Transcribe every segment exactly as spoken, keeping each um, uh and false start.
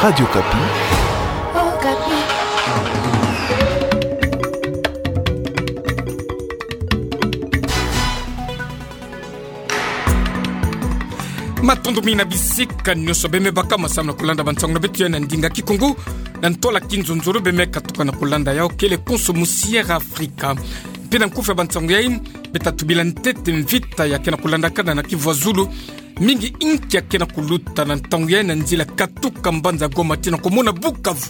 Radio Okapi. Matondo mingi na bisika nyonso beme baka, samu na kulanda bansango na beto ya na ndinga Kikongo. Na ntwala kinzonzolo beme katuka na kulanda yau kele konso musi Air Afrika. Mpe na nkufi ya bansango yai, beta tubila ntete mvita ya ke na kulandakana na Kivu ya Zulu. Mingi inki ya ke na kuluta na ntangu yai na nzila katuka mbanza Goma tii na komona Bukavu.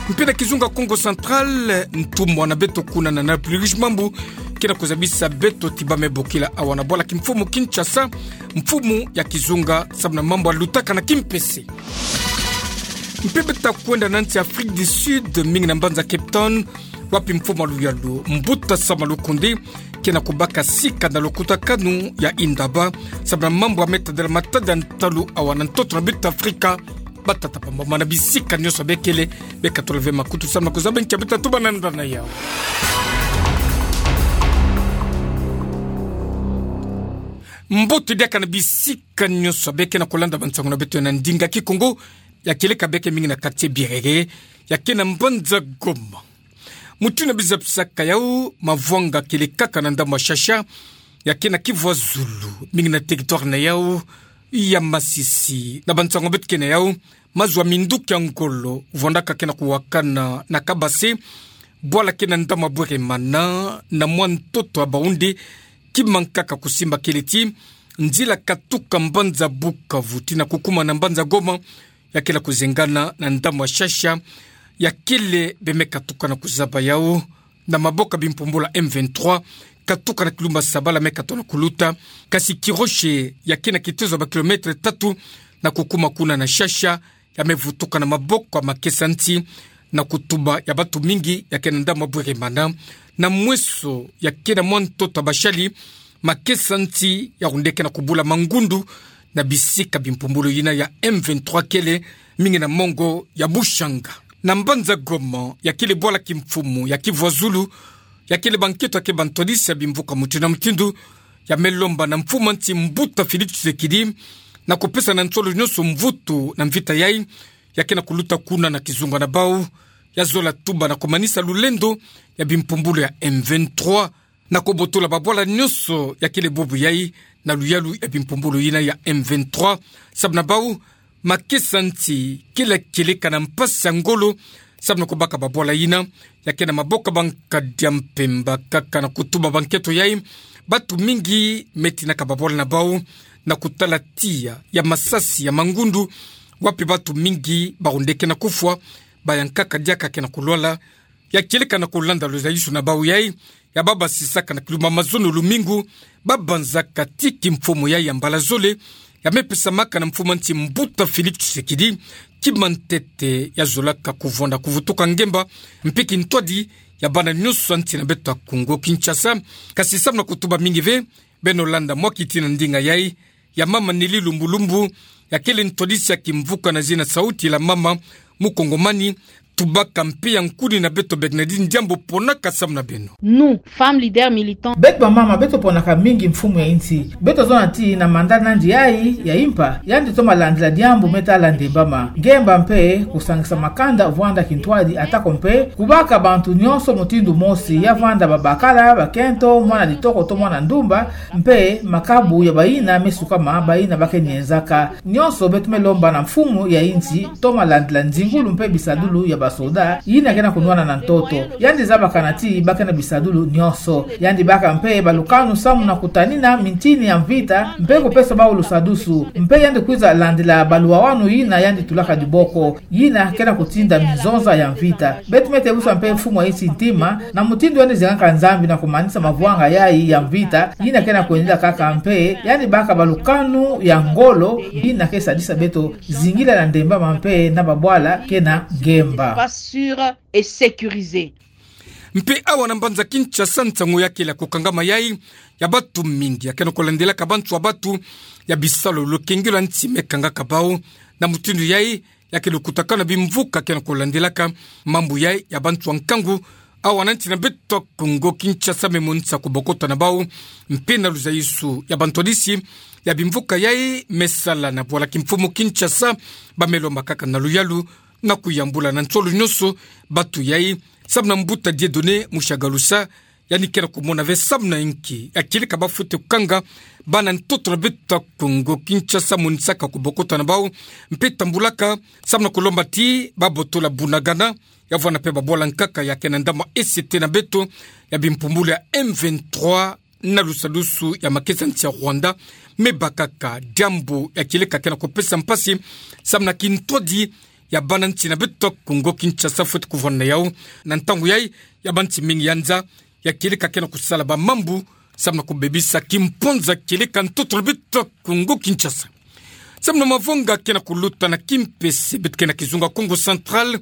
Mpe na kizunga Kongo Central, ntumwa na beto kuna na Nord-Uele Mambu ke na kuzabisa beto ti bame bokila awa na bwala kimfumu Kinshasa, mfumu ya kizunga samu na mambu ya lutaka na kimpese. Mpe beta kwenda na nsi Afrique du Sud, mingi na mbanza Cape Town, wapi mfumu ya luyalu, Mbuta Sama Lukonde, ke na kubaka sika na lukutakanu ya Indaba, samu na mambu ya me tadila matadi ya ntalu awa na ntoto na beto Afrika. Batata bamama na bisika nyonso bekele, beka tula ve makutu samu na kuzaba nki ya beta tuba na ndana yau. Mbote diaka na bisika nyonso beke na kulanda bansango na beto ya na ndinga Kikongo, ya kieleka beke mingi na quartier Birere, ya ke na mbanza Goma. Mutindu na bizapisaka yau, mavwanga kielekaka na ndambu ya Shasha, ya ke na Kivu ya Zulu, mingi na territoire na yau ya Masisi. Na bansango beto ke na yau, mazu ya minduki ya ngolo, vwandaka ke na kuwakana na Kabase, bwala ke na ndambu ya Bweremana, na mwa ntoto ya Baoundé, ki mankaka kusimba kele ti nzila katuka mbanza Bukavu tii na kukuma na mbanza Goma, ya ke na kuzengana na ndambu ya Shasha, ya kele beme katuka na kuzaba yau na maboko ya bimpumbulu ya M vingt-trois, katuka na kilumba Sabala me katono kuluta, kasi Kiroshe ya ke na kitezo ya ba kilomètre tatu na kukuma kuna na Shasha, ya me vutuka na maboko ya makesa nsi na kutuba ya batu mingi ya ke na ndambu ya Bweremana, na mweso ya ke na mwa ntoto ya bashali, makesa nsi ya rundeke na kubula mangundu na bisika bimpumbulu yina ya M vingt-trois kele, mingi na mongo ya Bushanga. Na mbanza Goma, ya kele bwala kimfumu ya Kivu ya Zulu, ya kele banketo ya ke bantwadisi ya bimvuka mutindu na mutindu, ya me lomba na mfumu ya nsi Mbuta Félix Tshisekedi na kupesa na nsolo nyonso mvutu na mvita yai, ya ke na kuluta kuna na kizunga na bau, ya zola tuba na kumanisa lulendo ya bimpumbulu ya M vingt-trois, na kubotola babwala nyonso ya kele bubu yai na luyalu ya bimpumbulu yina ya M vingt-trois, samu na bau, makesa nsi kele kieleka na mpasi ya ngolo, samu na kubaka babwala yina, ya ke na maboko ya bankadi ya mpemba kaka na kutuba banketo yai, batu mingi me tinaka babwala na bau, na kutala tiya ya masasi ya mangundu, wapi batu mingi barundeke na kufwa, bayankaka diaka ke na kulwala, ya kieleka na kulanda luzayusu na bau yai, ya babasisaka na kilumba mazono lumingu, babanzaka ti kimfumu yai ya mbala zole, ya me pesamaka na mfumu ya nsi Mbuta Félix Tshisekedi, kima ntete ya zolaka kuvwanda kuvutuka ngemba, mpe kintwadi ya bana nyonso ya nsi na beto ya Kongo Kinshasa, kasi samu na kutuba mingi ve, beno landa mwa kiti na ndinga yai, ya mama Nelly Lumbu Lumbu, ya kele ntwadisi ya kimvuka na zina Sauti la Mama Mukongomani, tubaka mpe ya nkuni na beto Bernadine Diambu ponaka samu na beno. Nous, femmes leaders militantes. Beto bamama, beto ponaka mingi mfumu ya nsi. Beto zona ti na mandat na yandi yai ya impa, yandi toma landila diambu me tala ndembama. Ngemba mpe kusangisa makanda vwanda kintwadi atako mpe kubaka bantu nyonso mutindu mosi, ya vwanda babakala, bakento, mwana ditoko to mwana ndumba, mpe makabu ya bayina me sukama, bayina ba ke nienzaka. Nyonso beto me lomba na mfumu ya nsi, toma landila nzingulu mpe bisadulu ya basoda, yina ke na kunwana na ntoto. Yandi zabakana ti ba ke na bisadulu nyonso. Yandi baka mpe balukanu samu na kutanina mintini ya mvita, mpe kupesa bau lusadusu. Mpe yandi kwiza landila baluwawanu yina yandi tulaka diboko. Yina ke na kutinda minzonza ya mvita. Beto me tebusa mpe mfumu ya nsi ntima, na mutindu yandi zengaka Nzambi na kumanisa mavwanga yai ya mvita, yina ke na kwendila kaka mpe, yandi baka balukanu ya ngolo, yina ke sadisa beto zingila na ndembama mpe na babwala ke na ngemba. Pas sûr et sécurisé. Mpe awa na mbanza Kinshasa nsangu ya kele ya kukangama yai, ya batu mingi ya ke na kulandilaka bantu ya batu, ya bisalu lukengelo ya nsi me kangaka bau, na mutindu yai, ya ke lukutakanu ya bimvuka ke na kulandilaka mambu yai ya bantu ya nkangu, awa na nsi na beto Kongo Kinshasa me monisa kubokota na bau, mpe na luzayusu ya bantwadisi, ya bimvuka yai me sala na bwala kimfumu Kinshasa, ba me lomba kaka na luyalu na kuyambula na nsolo nyonso batu yai, samu na mbuta Dieudonné Mushagalusa, yandi ke na kumona ve samu na inki ya kieleka ba fwete kukanga bana ntoto na beto Kongo Kinshasa, monisaka kubokota na bau, mpe tambulaka samu na kulomba ti ba botola bunagana, ya vwanda mpe ba bwala nkaka ya ke na ndambu ese te na beto, ya bimpumbulu ya M vingt-trois na lusadusu ya makesa nsi ya Rwanda, me bakaka diambu ya kieleka ke na kupesa mpasi samu na kintwadi ya bana nsi na beto Kongo Kinshasa fwete kuvwanda na yau. Na ntangu yai, ya bansi mingi ya nza ya kieleka ke na kusala ba mambu samu na kubebisa kimpwanza kieleka ntoto na beto Kongo Kinshasa. Samu na mavonga ke na kuluta na kimpese, beto ke na kizunga Kongo Central,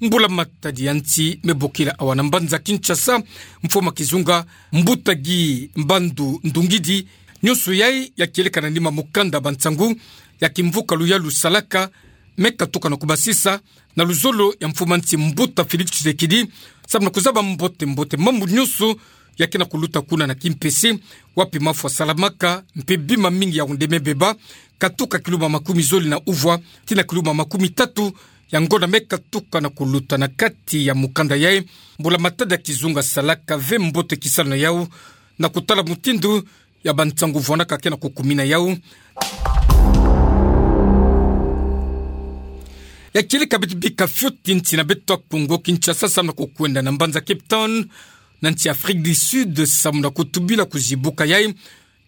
mbula matadi ya nsi me bokila awa na mbanza Kinshasa, mfumu kizunga mbuta Guy Mbandu Ndungidi, nyonso yai ya kieleka na nima mukanda ba nsangu ya kimvuka luyalu salaka, me katuka na kubasisa na luzolo ya mfumu nsi mbuta Félix Tshisekedi, samu na kuzaba mbote mbote mambu nyonso ya ke na kuluta kuna na kimpese, wapi mafwa salamaka, mpe bima mingi ya onde me beba, katuka kiluma makumi zole na uvwa tii na kiluma makumi tatu ya ngonda me katuka na kuluta. Na kati ya mukanda yai, mbula matadi ya kizunga salaka ve mbote kisalu na yau, na kutala mutindu ya ba nsangu vwandaka ke na kukumina yau. Ya kieleka beto bika fioti nsi na beto Kongo Kinshasa samu na kukwenda na mbanza Cape Town, na nsi Afrique du Sud, samu na kutubila kuzibuka yai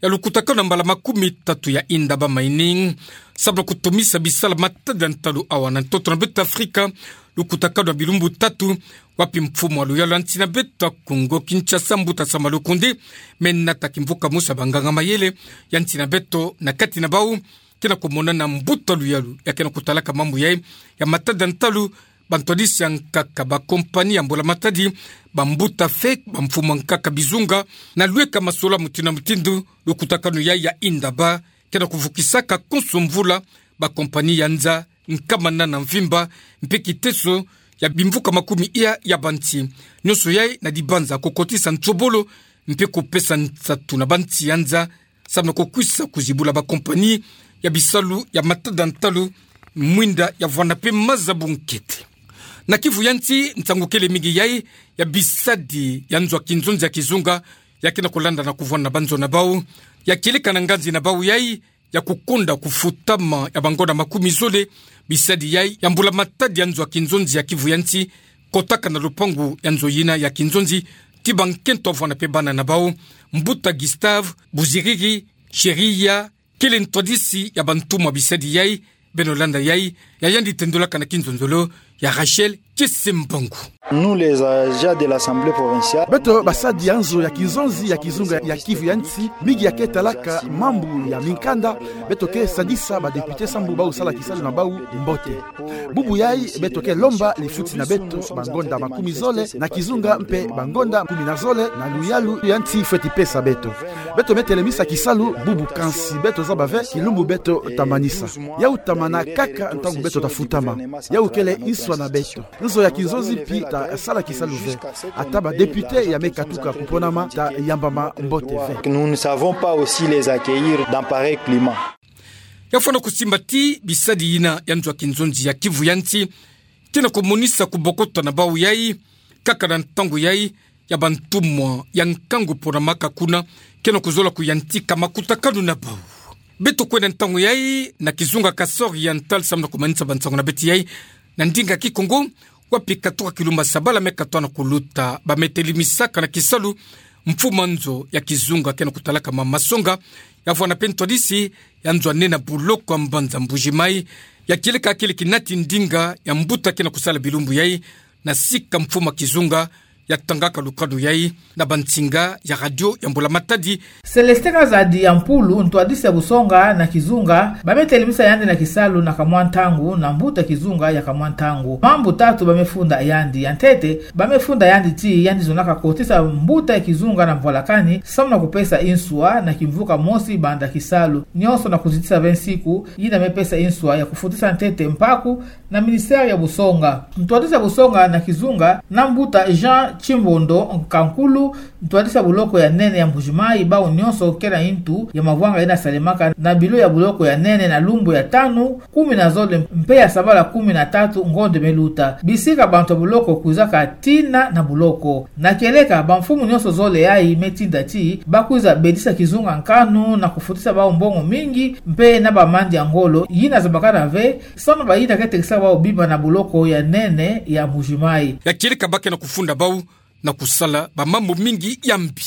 ya lukutakanu na mbala makumi tatu ya Indaba Mining, samu na kutomisa bisala matadi ya ntalu awa na ntoto na beto Afrika, lukutakanu na bilumbu tatu, wapi mfumu ya luyalu ya nsi na beto Kongo Kinshasa, mbuta Sama Lukonde, me nata kimvuka mosi ya banganga mayele ya nsi na beto, na kati na bau ke na kumonana mbuta luyalu ya ke na kutalaka mambu yai ya matadi ya ntalu, ba ntwadisi ya nkaka, ba compagnie ya mbula matadi, ba mbuta fake, ba mfumu ya nkaka bizunga, na lweka masolo mutindu na mutindu. Lukutakanu yai ya Indaba ke na kuvukisaka konso mvula ba compagnie ya nza nkama nana mvimba, mpe kiteso ya bimvuka makumi iya ya bansi. Nyonso yai na dibanza kukotisa nsobolo mpe kupesa nsatu na bansi ya nza, samu na kukwisa kuzibula ba compagnie ya bisalu ya matadi ya ntalu, mwinda ya vwanda mpe maza bunkete. Na Kivu ya nsi, nsangu kele mingi yai ya bisadi ya nzo ya kinzonzi ya kizunga ya ke na kulanda na kuvwanda na ba nzo na bau. Ya kieleka na nganzi na bau yai ya kukonda kufutama ya bangonda makumi zole, bisadi yai ya mbula matadi ya nzo ya kinzonzi ya Kivu ya nsi kotaka na lupangu ya nzo yina ya kinzonzi, tii ba nkento ya vwanda mpe bana na bau. Mbuta Gustave Buziriri Sheria kele ntwadisi ya bantumwa bisadi yai. Beno landa yai, ya yandi tendolaka na kinzonzolo ya Rachel Kisimbangu. Nous, les agents de l'Assemblée provinciale. Beto basadi ya nzo ya kinzonzi ya kizunga ya Kivu ya nsi, mingi ya ke talaka mambu ya minkanda, beto ke sadisa ba député sambu bau sala kisalu na bau mbote. Bubu yai beto ke lomba lifuti na beto bangonda makumi zole na kizunga mpe bangonda kumi na zole na luyalu ya nsi fweti pesa beto. Beto me telemisa kisalu bubu, kansi beto zaba ve kilumbu beto ta manisa. Yau ta mana kaka ntangu beto ta futama. Yau kele nswa na beto. Nzo ya kinzonzi mpi ta sala kisalu ve, ata ba député ya me katuka kuponama ta yambama mbote ve. Nous ne savons pas aussi les accueillir dans pareil climat. Ya fwana kusimba ti bisadi yina ya nzo ya kinzonzi ya Kivu ya nsi ke na kumonisa kubokota na bau yai, kaka na ntangu yai ya bantumwa ya nkangu ponamaka kuna ke na kuzola kuyantika makutakanu na bau. Beto kwenda ntangu yai na kizunga Kasai Oriental samu na kumanisa ba nsangu na beto yai na ndinga Kikongo, wapi katoka kilumbu sabala me katoka na kuluta ba me telemisa kana kisalu mfumu nzo ya kizunga ke na kutalaka Mama Songa, ya vwanda mpe ntwadisi ya nzo ya nene ya buloko ya mbanza Mbuji-Mayi, ya kieleka kele kinati ndinga ya mbuta ke na kusala bilumbu yai na sika mfumu kizunga ya tangaka lukanu yai na ba nsinga ya radio ya Mbula Matadi. Célestin Kazadi ya Mpulu, ntwadisi ya busonga na kizunga, ba me telemisa yandi na kisalu na kamwa ntangu na mbuta kizunga ya kamwa ntangu. Mambu tatu ba me funda yandi. Ya ntete, ba me funda yandi ti yandi zonaka kotisa mbuta ya kizunga na mvwalakani, samu na kupesa nswa na kimvuka mosi banda kisalu. Nyonso na kuzitisa ve nsiku yina me pesa nswa ya kufutisa ntete mpaku na ministère ya busonga. Ntwadisi ya busonga na kizunga na mbuta Jean Tchimbondo, Nkankulu, ntwadisi ya boloko ya nene ya Mbuji-Mayi, bau nyonso kena ntu ya mavwanga yena salemaka na bilo ya boloko ya nene na lumbu ya tanu, kumi na zole mpe ya sabala kumi na tatu ngonde meluta. Bisika bantu ya boloko kwizaka tina na boloko. Na kieleka, bamfumu nyonso zole yayi me tinda ti bakwiza bedisa kizunga nkanu na kufutisa bau mbongo mingi, mpe na bamandi ya ngolo, yina zabakana ve, sono bayina ke tekisaka bau bima na boloko ya nene ya Mbuji-Mayi. Ya kieleka ba ke na kufunda bau na kusala bamambu mingi ya mbi.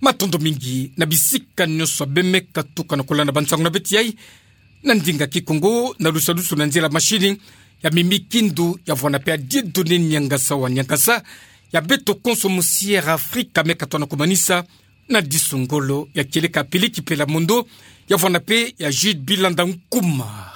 Matondo mingi na bisika nyonso beno me katuka na kulanda bansangu na beto yayi na ndinga Kikongo, na lusalusu na nzila machine ya Mimi Kindu, ya vwanda mpe ya Dieudonné Niangasa wa Niangasa, ya beto konso mu Sierra Africa me katoa na kumanisa na disu ngolo. Ya kieleka Pili Kipela Mondo, ya vwanda mpe ya Jude Bilanda Nkuma.